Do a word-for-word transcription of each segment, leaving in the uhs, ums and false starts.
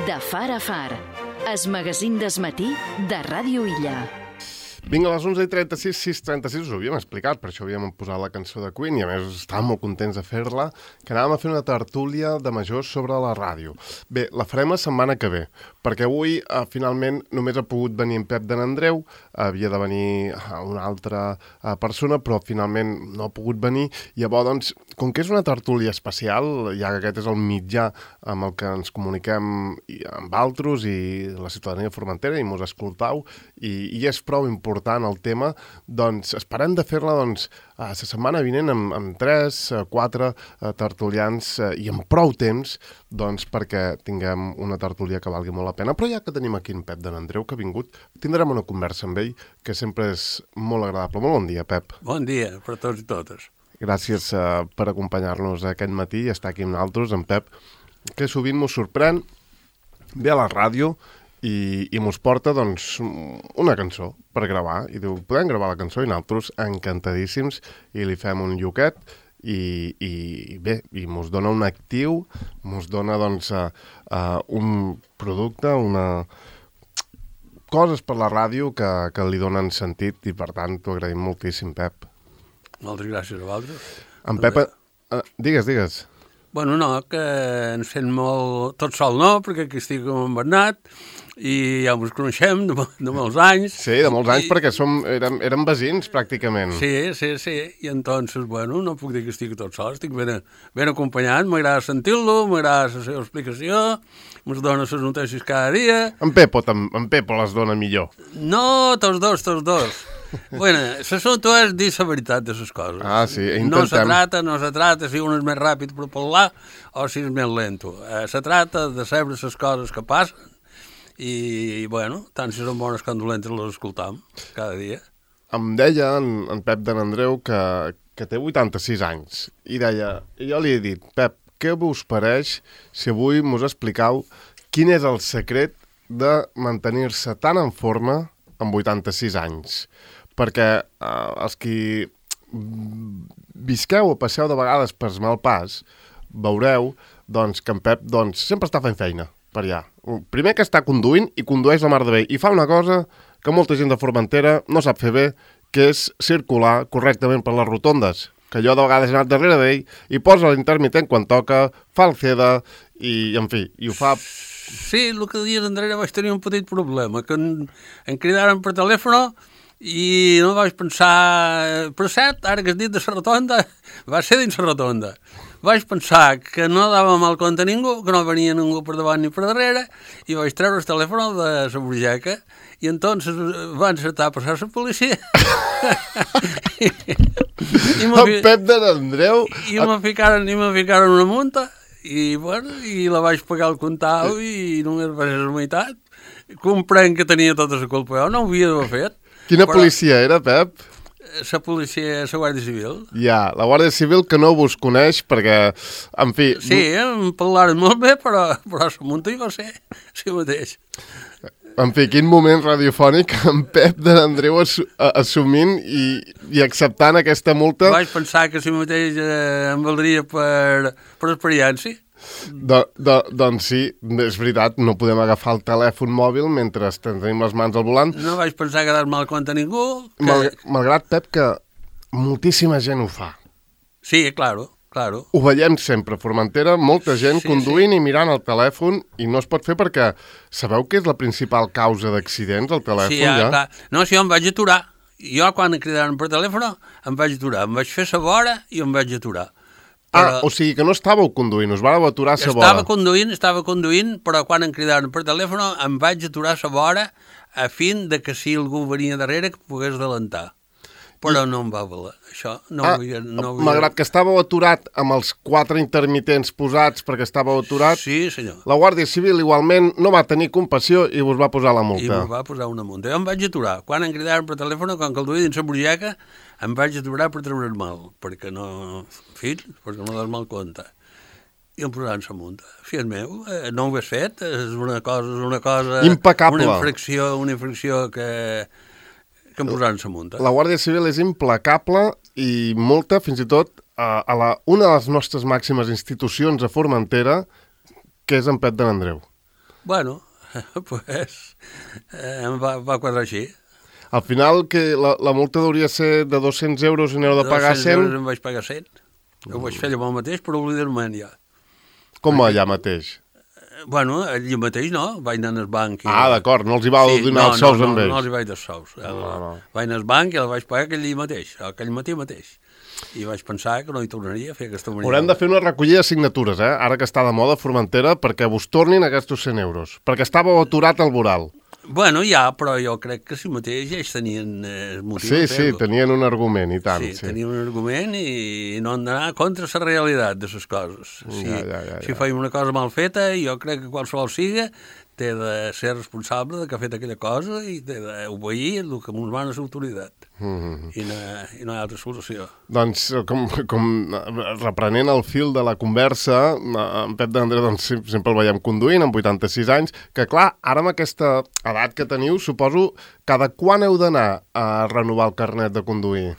De far a far, es magazín desmatí de Ràdio Illa. Vinga, a les onze i trenta-sis, sis i trenta-sis, us ho havíem explicat, per això havíem posat la cançó de Queen i a més estàvem molt contents de fer-la, que anàvem a fer una tertúlia de majors sobre la ràdio. Bé, la farem la setmana que ve, perquè avui eh, finalment només ha pogut venir en Pep de n'Andreu, havia de venir eh, una altra eh, persona, però finalment no ha pogut venir, i llavors, doncs, com que és una tertúlia especial, ja que aquest és el mitjà amb el que ens comuniquem amb altres i la ciutadania formentera i mos escoltau, i, i és prou important el tema, doncs esperem de fer-la doncs, la setmana vinent amb, amb tres, quatre eh, tertulians eh, i amb prou temps doncs, perquè tinguem una tertúlia que valgui molt la pena. Però ja que tenim aquí en Pep de n'Andreu, que ha vingut, tindrem una conversa amb ell, que sempre és molt agradable. Molt bon dia, Pep. Bon dia per tots i totes. Gràcies uh, per acompanyar-nos aquest matí i estar aquí amb nosaltres, en Pep, que sovint mos sorprèn, ve a la ràdio i, i mos porta doncs, una cançó per gravar. I diu, podem gravar la cançó? I nosaltres encantadíssims i li fem un lloquet i, i bé, i mos dona un actiu, mos dona doncs, uh, uh, un producte, una... coses per la ràdio que, que li donen sentit i per tant t'ho agraïm moltíssim, Pep. Moltes gràcies a vosaltres. En Pep... Uh, digues, digues. Bueno, no, que ens sent molt... Tot sol no, perquè aquí estic amb en Bernat i ja ens coneixem de, de molts anys. Sí, de molts anys, I... perquè som, érem, érem veïns, pràcticament. Sí, sí, sí. I entonces, bueno, no puc dir que estic tot sol, estic ben, ben acompanyat, m'agrada sentir-lo, m'agrada la seva explicació, ens dona les notícies cada dia. En Pepo, en Pepo les dona millor. No, tots dos, tots dos. Bueno, l'assumpte és dir la veritat de les coses. Ah, sí, intentem. No se trata, no se trata si un és més ràpid per parlar o si és més lento. Eh, se trata de saber les coses que passen i, bueno, tant si són bones com dolentes les escoltam cada dia. Em deia en, en Pep de n'Andreu que, que té vuitanta-sis anys i deia, i jo li he dit, Pep, què vos pareix si avui mos expliqueu quin és el secret de mantenir-se tan en forma amb vuitanta-sis anys? Perquè eh, els qui visqueu o passeu de vegades per mal pas, veureu doncs, que en Pep doncs, sempre està fent feina per allà. Primer que està conduint i condueix la mar de bé i fa una cosa que molta gent de Formentera no sap fer bé, que és circular correctament per les rotondes, que jo de vegades he anat darrere d'ell i posa l'intermitent quan toca, fa el ceda i, en fi, i ho fa... Sí, el que dies enrere vaig tenir un petit problema, que em, em cridaren per telèfon i no vaig pensar... Per cert, ara que has dit de la rotonda, va ser dins la rotonda. Vaig pensar que no dava mal compte a ningú, que no venia ningú per davant ni per darrere, i vaig treure el telèfon de la burgeca, i entonces van encertar a passar la policia. I, i el Pep de n'Andreu... I me ficaren, i me ficaren una multa, i, bueno, i la vaig pagar al comptau i només va ser la meitat. Comprenc que tenia tota la culpa, jo no ho havia d'haver fet. Quina però... policia era, Pep? La policia, la Guàrdia Civil. Ja, la Guàrdia Civil que no vos coneix perquè, en fi... Sí, em parlaren molt bé, però, però la multa jo sé, si mateix. En fi, quin moment radiofònic en Pep de n'Andreu assumint i, i acceptant aquesta multa. Vaig pensar que si mateix eh, em valdria per, per experiència. Do, do, doncs sí, és veritat, no podem agafar el telèfon mòbil mentre tenim les mans al volant. No vaig pensar que dar mal compte a ningú. Que... Mal, malgrat, Pep, que moltíssima gent ho fa. Sí, claro. Claro. Ho veiem sempre, a Formentera, molta gent sí, conduint sí. i mirant el telèfon i no es pot fer perquè sabeu que és la principal causa d'accidents, el telèfon, sí, ja? ja? Clar. No, si jo em vaig aturar. Jo, quan em cridaran per telèfon, em vaig aturar. Em vaig fer sa vora i em vaig aturar. Però... Ah, o sigui que no estàveu conduint, us vareu aturar sa vora. Estava conduint, estava conduint, però quan em cridaran per telèfon em vaig aturar sa vora a fin de que si algú venia darrere que pogués adelantar. Però I... no em va valer, això. No ah, havia, no havia... Malgrat que estàveu aturat amb els quatre intermitents posats perquè estàveu aturat, sí, senyor. La Guàrdia Civil igualment no va tenir compassió i us va posar la multa. I us va posar una multa. Jo em vaig aturar. Quan em cridaven per telèfon, quan que el duia dins la burgeca, em vaig aturar per treure's mal, perquè no... En fi, perquè no das mal compte. I em posaven la multa. Fill meu, eh, no ho has fet, és una cosa... És una cosa impecable. Una infracció, una infracció que... que em posaran la multa. La Guàrdia Civil és implacable i multa, fins i tot, a, a la, una de les nostres màximes institucions a Formentera, que és en Pep de n'Andreu. Bueno, pues eh, em va, va quadrar així. Al final, que la, la multa hauria ser de dos-cents euros i n'heu de pagar dos-cents cent? euros em vaig pagar cent. Ho vaig fer allò mateix, però oblidar-me'n ja. Com allà mateix? Bueno, allà mateix no, vaig anar al banc. I... Ah, d'acord, no els hi vau sí, donar no, els sous no, amb no, ells. No, els hi vaig dar sous. El, No, no. Vaig anar al banc i el vaig pagar aquell dia mateix, aquell matí mateix. I vaig pensar que no hi tornaria a fer aquesta maniobra. Haurem de fer una recollida de signatures, eh? Ara que està de moda Formentera, perquè vos tornin aquests cent euros. Perquè estàveu aturat al voral. Bueno, ja, però jo crec que si mateix ells tenien eh, motiu Sí, de sí, fer-ho. tenien un argument, i tant. Sí, Sí, tenien un argument i no han d'anar contra la realitat de les coses. Si, Ja, ja, ja, si ja. feim una cosa mal feta, jo crec que qualsevol siga té de ser responsable de que ha fet aquella cosa i té d'obeir el que ens mana l'autoritat. Mm -hmm. I, no, I no hi ha altra solució. Doncs, com, com reprenent el fil de la conversa, en Pep d'Andrés doncs, sempre el veiem conduint, amb vuitanta-sis anys, que clar, ara amb aquesta edat que teniu, suposo, cada quan heu d'anar a renovar el carnet de conduir?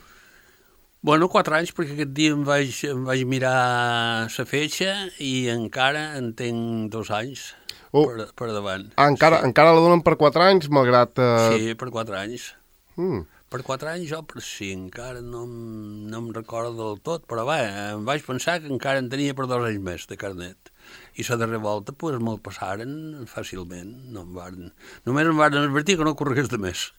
Bueno, quatre anys, perquè aquest dia em vaig, em vaig mirar la fetge i encara en tinc dos anys Oh. per, per davant. Ah, encara, sí. encara la donen per quatre anys, malgrat... Eh... Sí, per quatre anys. Mm. Per quatre anys jo per cinc, encara no, em- no em recordo del tot, però va, em vaig pensar que encara en tenia per dos anys més de carnet. I la darrera volta pues, me'l passaren fàcilment. No em varen... Només em varen advertir que no corregués de més.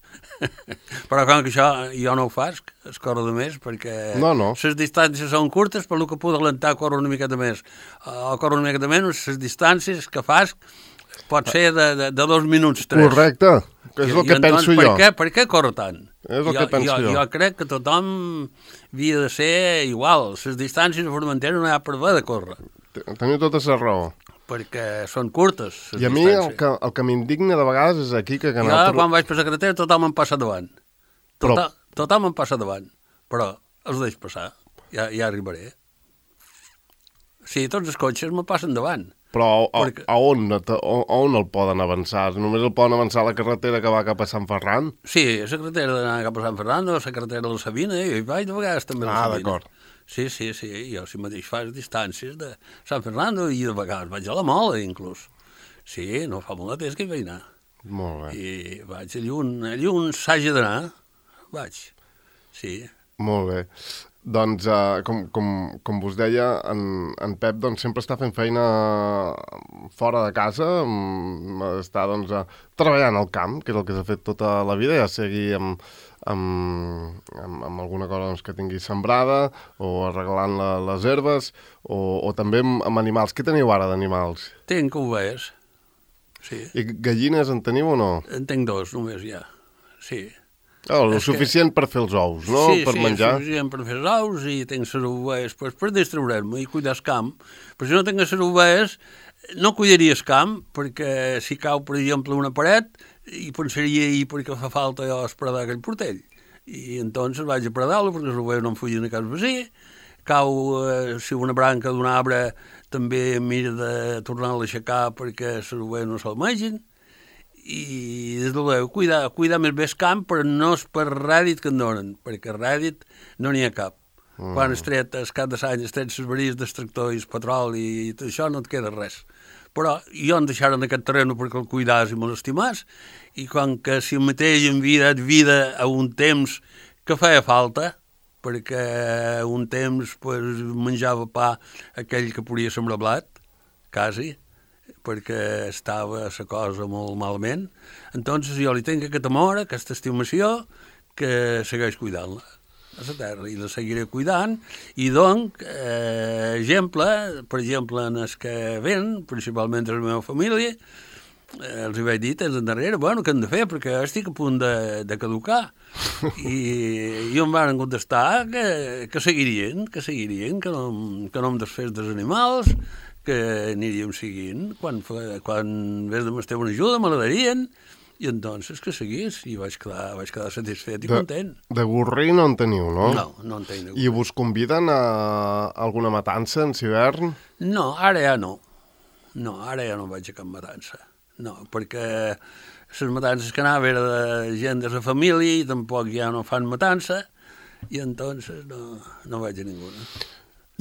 Però com que això jo no ho faig, es corre de més, perquè No, no. les distàncies són curtes, per lo que puc adelantar córrer una miqueta més. O córrer una miqueta menys, les distàncies que fas pot ser de, de, de dos minuts, tres. Correcte, és el I, que i penso per jo. Què, per què corre tant? És el jo, que penso jo. Jo crec que tothom havia de ser igual. Les distàncies a Formentera no hi ha per haver de córrer, Teniu tota la raó. perquè són curtes les I a mi el distàncies. que, el que m'indigna de vegades és aquí que... que Jo, nosaltres- quan vaig per la carretera, tothom em passa davant. Però- Tothom, tothom em passa davant, però els deixo passar, ja, ja arribaré. Sí, tots els cotxes me passen davant. Però a, Perquè- a, on, a, on el poden avançar? Només el poden avançar a la carretera que va cap a Sant Ferran? Sí, a la carretera d'anar cap a Sant Fernando, a la carretera de la Sabina, i hi vaig de vegades també a la Ah, Sabina. d'acord. Sí, sí, sí, jo si mateix faig distàncies de Sant Fernando i de vegades vaig a la Mola, inclús. Sí, no fa molt de temps que hi vaig anar. Molt bé, I vaig allà on, allà on s'hagi d'anar, vaig. Sí. molt bé. Doncs, uh, com, com, com vos deia, en, en Pep doncs, sempre està fent feina fora de casa, mm, està doncs, uh, treballant al camp, que és el que s'ha fet tota la vida, ja sigui amb, amb, amb, amb alguna cosa doncs, que tingui sembrada, o arreglant la, les herbes, o, o també amb, amb animals. Què teniu ara d'animals? Tinc ovelles. Sí. I gallines en teniu o no? En tinc dos, només ja. Sí. Oh, el És que- suficient per fer els ous, no? Sí, per sí, menjar. sí, sí, per fer els ous i tinc les ovelles pues, per distraure'm i cuidar el camp. Però si no tinc les ovelles, no cuidaria el camp, perquè si cau, per exemple, una paret, i pensaria ahir perquè fa falta jo espredar aquell portell. I entonces vaig a predar-lo perquè les ovelles no em fugin a casa vecí. Cau, eh, si una branca d'un arbre, també mira de tornar-la a aixecar perquè les ovelles no se'l mengin. I des de luego, cuidar, cuidar més bé el camp, però no és per rèdit que en donen, perquè rèdit no n'hi ha cap. Mm. Quan es tret, el cap de l'any, es tret les varies del tractor i el petroli i tot això, no et queda res. Però jo em deixaren aquest terreno perquè el cuidàs i me l'estimàs, i quan que si mateix em havia dat vida a un temps que feia falta, perquè un temps pues, menjava pa aquell que podia sembrar blat, quasi, perquè estava la cosa molt malament. Entonces jo li tinc aquest amor, aquesta estimació, que segueix cuidant-la a la terra, i la seguiré cuidant, i donc, eh, exemple, per exemple, en els que ven, principalment de la meva família, eh, els hi vaig dir temps endarrere, bueno, què hem de fer, perquè estic a punt de, de caducar. I, i em van contestar que, que seguirien, que seguirien, que no, que no em desfés dels animals, que aniríem seguint. Quan, fa- quan vés de m'estar una ajuda, me la darien, i entonces que seguís, i vaig quedar, vaig quedar satisfet i De, content. de gorrí no en teniu, no? No, no en tinc. I vos conviden a alguna matança en hivern? No, ara ja no. No, ara ja no vaig a cap matança. No, perquè les matances que anava era de gent de la família i tampoc ja no fan matança, i entonces no, no vaig a ninguna.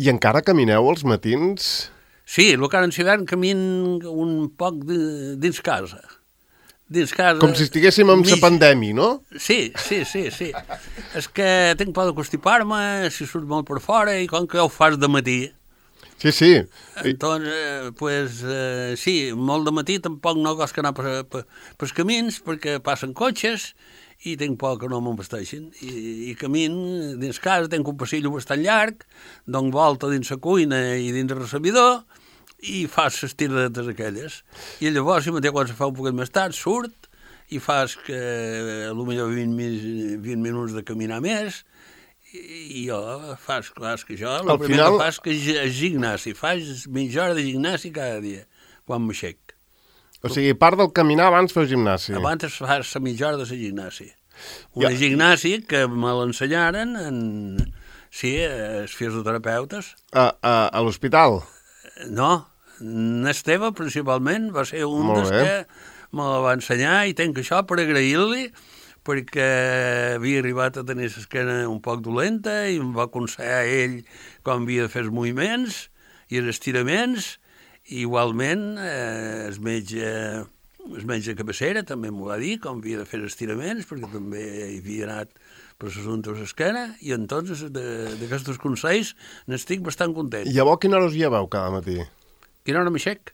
I encara camineu els matins? Sí, el que ara en hivern camin un poc de, dins casa. Dins casa... Com si estiguéssim en mig... la pandèmia, no? Sí, sí, sí, sí. És que tinc por de constipar-me, si surt molt per fora, i com que ho fas de matí... Sí, sí. Entonces, eh, pues, eh, sí, molt de matí tampoc no costa anar per, per, pels camins, perquè passen cotxes, i tinc por que no m'embasteixin. I, I camin dins casa, tinc un passillo bastant llarg, dono volta dins la cuina i dins el recebidor, i fas les tiradetes aquelles. I llavors, si mateix quan se fa un poquet més tard, surt i fas que potser vint, vint minuts de caminar més, i jo fas, fas que jo, el primer final... que fas que és gimnàs, fas mitja hora de gimnàs cada dia, quan m'aixec. O sigui, part del caminar abans feu gimnàsia. Abans fas la mitja hora de la gimnàsia. Una ja. gimnàsia que me l'ensenyaren en... Sí, els fisioterapeutes. A, a, a l'hospital? No, n'Esteve principalment va ser un dels que me la va ensenyar i tenc això per agrair-li, perquè havia arribat a tenir l'esquena un poc dolenta i em va aconsellar ell com havia de fer els moviments i els estiraments. I igualment, eh, el metge, el metge de cabecera també m'ho va dir com havia de fer els estiraments, perquè també hi havia anat per l'assumpte de l'esquena, i entonces d'aquests consells n'estic bastant content. I llavors quina hora us lleveu cada matí? Quina hora m'aixec?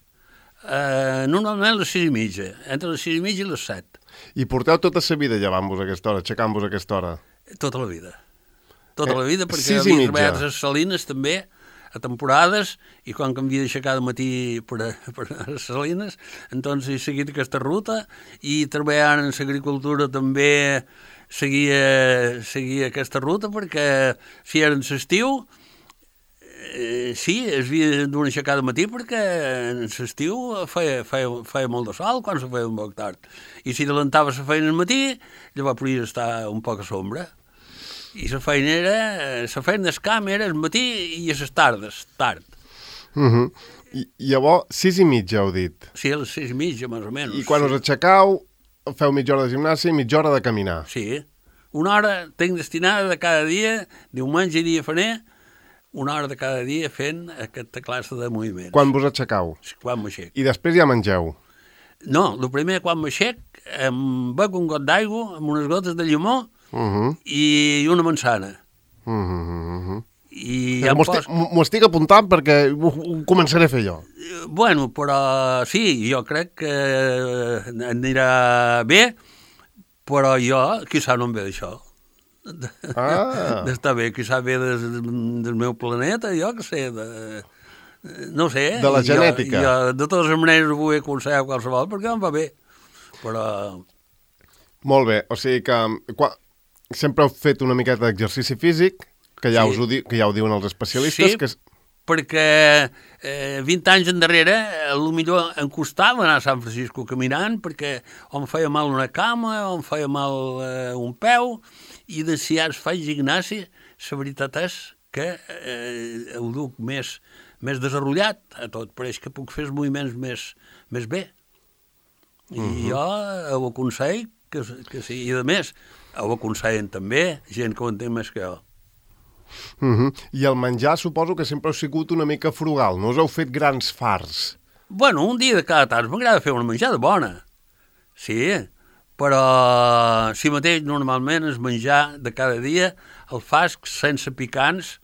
Uh, normalment a les sis i mitja, entre les sis i mitja i les set. I porteu tota la vida llevant-vos a aquesta hora, aixecant-vos a aquesta hora? Tota la vida. Tota eh, la vida, perquè havia treballat a les Salines també, a temporades, i quan que em havia d'aixecar de matí per a, per a les Salines, doncs he seguit aquesta ruta, i treballant en l'agricultura també seguia, seguia aquesta ruta, perquè si era en l'estiu, Eh, sí, es havia d'una aixecada de matí perquè en l'estiu feia, feia, feia molt de sol quan se feia un poc tard. I si adelantava la feina al matí, llavors podia estar un poc a sombra. I la feina era, la feina del camp era al matí i a les tardes, tard. Uh -huh. I llavors, sis i mitja, heu dit? Sí, a les sis i mitja, més o menys. I quan sí. us aixecau, feu mitja hora de gimnàsia i mitja hora de caminar? Sí, una hora tinc destinada de cada dia, diumenge i dia faner, una hora de cada dia fent aquesta classe de moviments. Quan vos aixecau? Quan m'aixec. I després ja mengeu? No, el primer quan m'aixec em bec un got d'aigua amb unes gotes de llimó uh -huh. i una manzana. Uh -huh. I ja m'ho estic, pos... estic apuntant perquè ho, ho començaré a fer jo. Bueno, però sí, jo crec que anirà bé, però jo, quizà no em ve d'això. Ah. D'estar bé, quizà ve del, del meu planeta, jo que sé, de, no sé. De la genètica. Jo, jo de totes les maneres ho vull aconsellar qualsevol perquè em va bé, però... Molt bé, o sigui que quan, sempre heu fet una miqueta d'exercici físic, que ja, sí. us ho di, que ja ho diuen els especialistes. Sí, que és... perquè eh, vint anys endarrere potser em costava anar a Sant Francisco caminant perquè o em feia mal una cama o em feia mal eh, un peu, i de si ara faig gimnàsia, la veritat és que eh, ho duc més, més desenvolupat a tot, pareix que puc fer els moviments més, més bé. I uh -huh. jo ho aconsello que, que sí, i a més ho aconsellen també gent que ho entén més que jo. Uh -huh. I el menjar suposo que sempre heu sigut una mica frugal, no us heu fet grans farts? Bueno, un dia de cada tant m'agrada fer una menjada bona, sí, però si mateix normalment és menjar de cada dia el fas sense picants,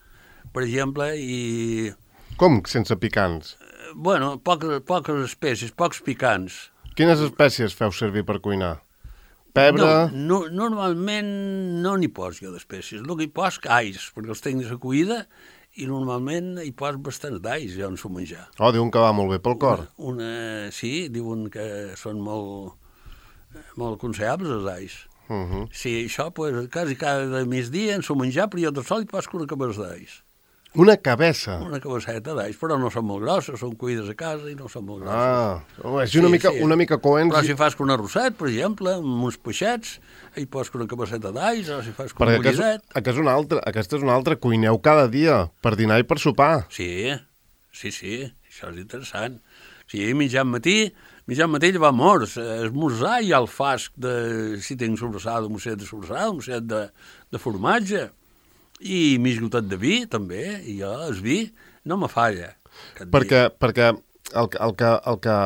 per exemple, i... Com sense picants? Bueno, poques, poques espècies, pocs picants. Quines espècies feu servir per cuinar? Pebre? No, no, normalment no n'hi poso jo d'espècies. El que hi poso alls, perquè els tinc de la cuida, i normalment hi poso bastants d'alls, jo en s'ho menjar. Oh, diuen que va molt bé pel cor. Una, una, sí, diuen que són molt, molt aconsellables els alls. Uh -huh. Sí, això, pues, quasi cada migdia en s'ho menjar, però jo de sol hi poso una cabeça d'alls. Una cabeça? Una cabeçeta d'alls, però no són molt grosses, són cuides a casa i no són molt grosses. Ah, oh, és una, sí, mica, sí. una mica coents. Però si fas un arrosset, per exemple, amb uns peixets, hi pots una cabeçeta d'alls, o si fas un bullidet... Perquè és una altra, aquesta és una altra, cuineu cada dia, per dinar i per sopar. Sí, sí, sí, això és interessant. Sí, mitjan matí, mitjan matí va morts, esmorzar i el fasc de, si tinc sobrassada, un mosset de sobrassada, un mosset de, de formatge, i mig gotet de vi, també, i jo, el vi, no me falla. Perquè, perquè el, que- el, que, el que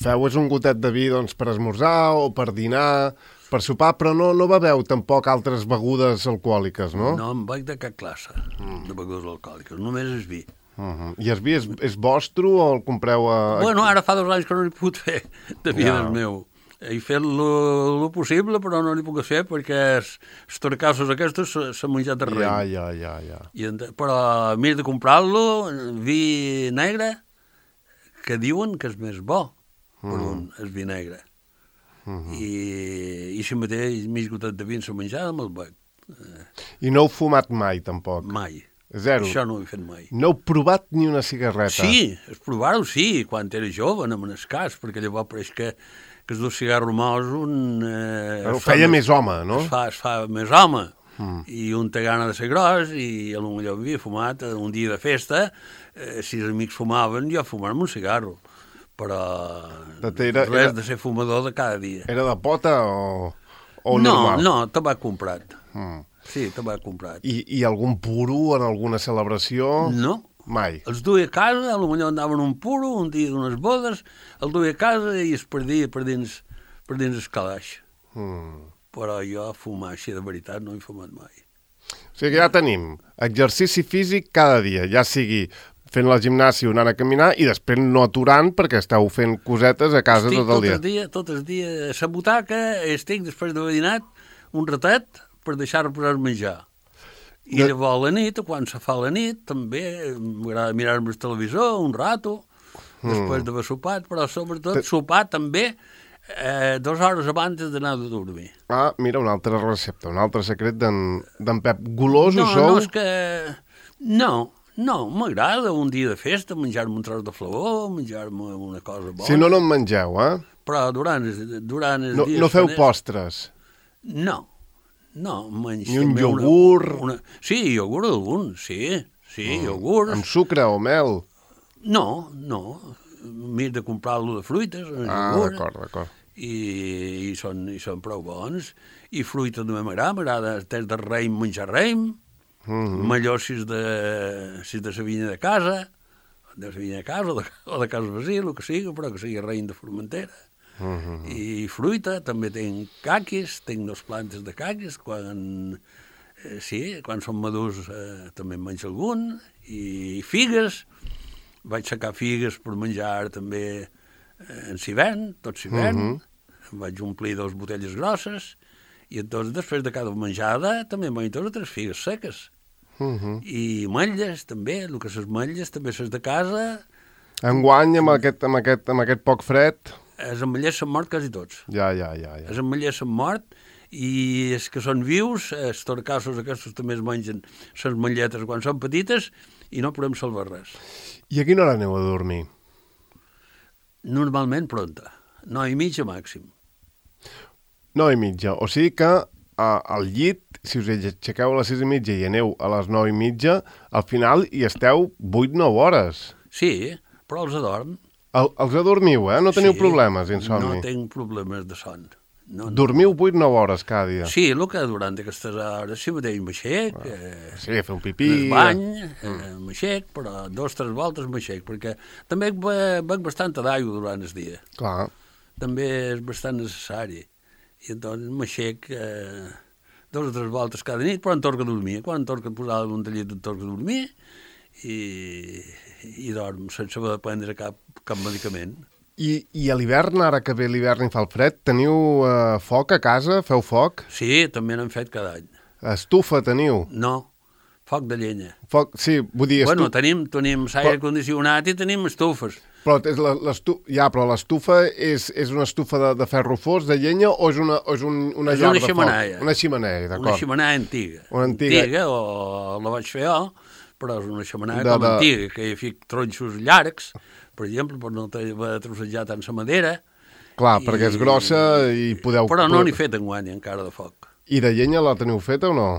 feu és un gotet de vi doncs, per esmorzar o per dinar, per sopar, però no, no beveu tampoc altres begudes alcohòliques, no? No em vaig de cap classe de begudes alcohòliques, només és vi. Uh -huh. I el vi és, és vostre o el compreu a... Bueno, ara fa dos anys que no n'he pogut fer de vi Ja. del meu. He fet lo, lo possible, però no n'hi puc fer perquè els torcassos aquests se- s'han menjat de Ja, rei. ja, ja, ja. I, ent- però m'he de comprar-lo, vi negre, que diuen que és més bo per Mm. un, el vi negre. Mhm. I, i si mateix mig gotet de vi en la menjada me'l bec. I no heu fumat mai, tampoc? Mai. Zero? Això no ho he fet mai. No heu provat ni una cigarreta? Sí, es provar-ho sí, quan era jove, no me n'escàs, perquè llavors pareix que, que es dos cigarros mous un... Eh, Ho es fa feia més home, no? Es fa, es fa més home, Mm. i un té gana de ser gros, i potser havia fumat eh, un dia de festa, eh, si els amics fumaven, jo fumar-me un cigarro, però De- era- res era- de ser fumador de cada dia. Era de pota o, o no, normal? no, tabac comprat. Mm. Sí, tabac comprat. I, I algun puro en alguna celebració? No, Mai. els duia a casa, potser andaven un puro, un dia d'unes bodes, el duia a casa i es perdia per dins, per dins el calaix. Mm. Però jo fumar així de veritat no he fumat mai. O sigui que ja tenim exercici físic cada dia, ja sigui fent la gimnàsia o anant a caminar i després no aturant perquè esteu fent cosetes a casa Estic tot el dia. el dia, tot el dia a la butaca, estic després d'haver dinat un ratet per deixar-me posar a menjar. I De- llavors a la nit, quan se fa la nit, també m'agrada mirar-me el televisor un rato, després d'haver sopat, però sobretot Te- sopar també eh, dues hores abans d'anar a dormir. Ah, mira, una altra recepta, un altre secret d'en d'en Pep. Golosos No, sou? no, és que... No, no, m'agrada un dia de festa menjar-me un tros de flavor, menjar-me una cosa bona. Si no, no en mengeu, eh? Però durant, els- durant els No, dies... no feu faners- postres. No, no, menys Ni un també una- iogurt? Una, Sí, iogurt algun, sí, sí, mm. iogurts. Amb sucre o mel? No, no, m'he de comprar-lo de fruites, un Ah, iogurt, d'acord, d'acord. i, i, són, i són prou bons. I fruita també m'agrada, m'agrada el test de raïm, menjar raïm, Mm millor si és de, si és de la vinya de casa, de la vinya de casa o de, o de casa Basil, el que sigui, però que sigui raïm de Formentera. -hmm. I fruita, també tinc caquis, tinc dos plantes de caquis, quan, eh, sí, quan són madurs eh, també en menjo algun, i figues, vaig sacar figues per menjar també eh, en hivern, tot hivern, mm -hmm. vaig omplir dues botelles grosses, i doncs després de cada menjada també em menjo dues o tres figues seques. Mm -hmm. I ametlles també, el que ses ametlles també ses de casa, Enguany, amb aquest, amb, aquest, amb aquest poc fred... els ametllers s'han mort quasi tots. Ja, ja, ja. ja. Els ametllers s'han mort i els que són vius, els torcassos aquests també es mengen les ametlletes quan són petites i no podem salvar res. I a quina hora aneu a dormir? Normalment pronta, nou i mitja màxim. Nou i mitja. O sigui que a, al llit, si us aixequeu a les sis i mitja i aneu a les nou i mitja, al final hi esteu vuit o nou hores. Sí, però els adorm. El, els adormiu, eh? No teniu Sí, problemes d'insomni. No tinc problemes de son. No, no. Dormiu vuit o nou hores cada dia. Sí, el que durant aquestes hores sí mateix m'aixec, eh, Sí, a fer un pipí... el bany, eh, m'aixec, però dos o tres voltes m'aixec, perquè també be- bec bastanta d'aigua durant el dia. Clar. També és bastant necessari. I doncs m'aixec eh, dos o tres voltes cada nit, però em torco a dormir. Quan em torco a posar un tallit em torco a dormir i, i dorm sense haver de prendre cap, cap medicament. I, i a l'hivern, ara que ve l'hivern i fa el fred, teniu eh, foc a casa? Feu foc? Sí, també n'hem fet cada any. Estufa teniu? No, foc de llenya. Foc, sí, vull dir... Bueno, Estu... tenim, tenim aire condicionat i tenim estufes. Però és la- l'estu... ja, però l'estufa és, és una estufa de, de ferro fos, de llenya, o és una, o és un, una És llar una de xemeneia. foc? Una xemeneia, d'acord. Una xemeneia antiga. Una antiga. Antiga, o la vaig fer jo, però és una xemeneia De- com de- antiga, que hi fic tronxos llargs, per exemple, per no haver trossejat tant la madera. Clar, I- perquè és grossa i podeu... Però no n'he fet enguany encara de foc. I de llenya la teniu feta o no?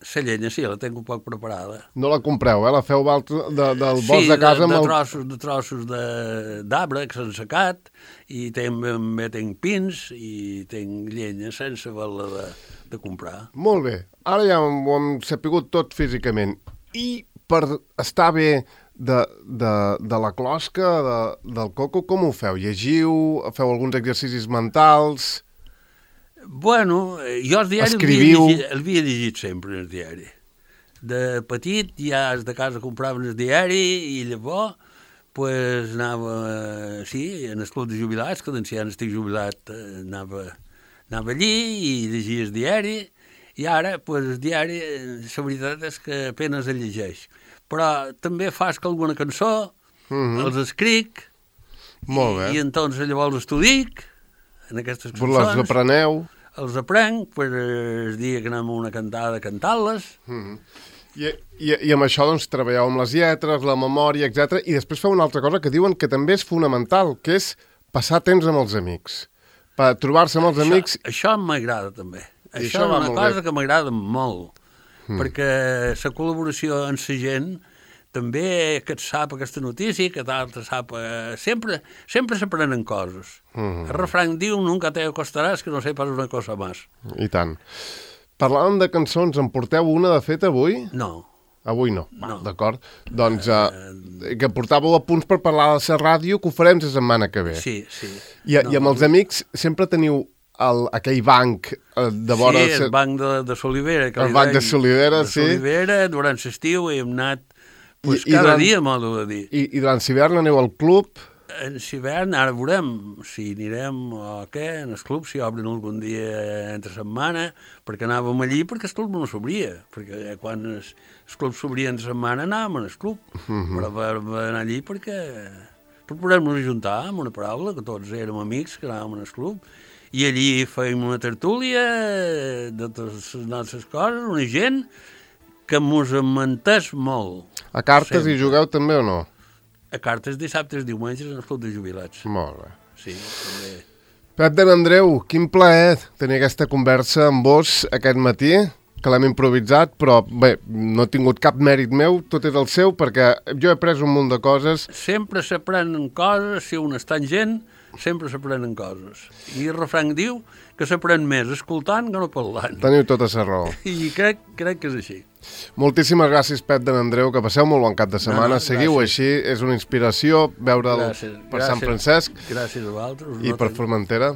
La llenya sí, la tinc un poc preparada. No la compreu, eh? La feu val de, del Sí, bosc de casa de, amb de el... trossos, de trossos de- d'arbre que s'han secat, i també tinc pins i tinc llenya sense haver-la de, de comprar. Molt bé. Ara ja ho hem sapigut tot físicament. I per estar bé de, de, de la closca, de, del coco, com ho feu? Llegiu? Feu alguns exercicis mentals? Bueno, jo el diari Escriviu? el havia llegit sempre, el diari. De petit ja de casa compraven el diari i llavors pues, anava, sí, en el club de jubilats, que doncs ja estic jubilat, anava, anava allí i llegia el diari, i ara pues, el diari, la veritat és que apenas el llegeix. Però també fas que alguna cançó, mm-hmm. els escric, Molt bé. i, i entonces llavors els t'ho dic, en aquestes cançons. Les apreneu? Els aprenc, per el dia que anem a una cantada a cantar-les. Mm-hmm. I, i, I amb això doncs, treballeu amb les lletres, la memòria, etcètera. I després feu una altra cosa que diuen que també és fonamental, que és passar temps amb els amics. Per trobar-se amb els això, amics... Això m'agrada també. I això això és una cosa bé. que m'agrada molt, mm. perquè la col·laboració amb la gent també que et sap aquesta notícia, que t'altre sap... Eh, sempre sempre s'aprenen coses. Mm. El refrany diu, nunca te acostaràs que no sepas una cosa més. I tant. Parlàvem de cançons, en porteu una, de fet, avui? No. Avui no, no. D'acord. Doncs eh, que portàveu a punts per parlar de la ràdio, que ho farem la setmana que ve. Sí, sí. I, no, i amb els amics sempre teniu el, aquell banc eh, de vora... Sí, el banc de, de Solivera. Que el banc de Solivera, de sí. De Solivera, durant l'estiu hem anat pues, I, i cada durant, dia, m'ho de dir. I, I durant l'hivern aneu al club... En l'hivern, ara veurem si anirem o què, en el club, si obren algun dia entre setmana, perquè anàvem allí perquè el club no s'obria, perquè quan el, el club s'obria entre setmana anàvem al club, mm-hmm. però per anar allí perquè per poder-nos ajuntar amb una paraula, que tots érem amics, que anàvem al club, i allí fèiem una tertúlia de totes les nostres coses, una gent que mos menteix molt. A cartes sempre. Hi jugueu també o no? A cartes dissabtes, diumenges, en el club de jubilats. Molt bé. Sí, també. Pep de Andreu, quin plaer tenir aquesta conversa amb vos aquest matí, que l'hem improvisat, però bé, no he tingut cap mèrit meu, tot és el seu, perquè jo he après un munt de coses. Sempre s'aprenen coses, si un està en gent, sempre s'aprenen coses. I el refrany diu que s'aprèn més escoltant que no parlant. Teniu tota la raó. I crec, crec que és així. Moltíssimes gràcies, Pep de Andreu, que passeu molt bon cap de setmana. No, no, seguiu gràcies. així, és una inspiració veure'l Gràcies, per gràcies, Sant Francesc gràcies a vosaltres. i per Formentera.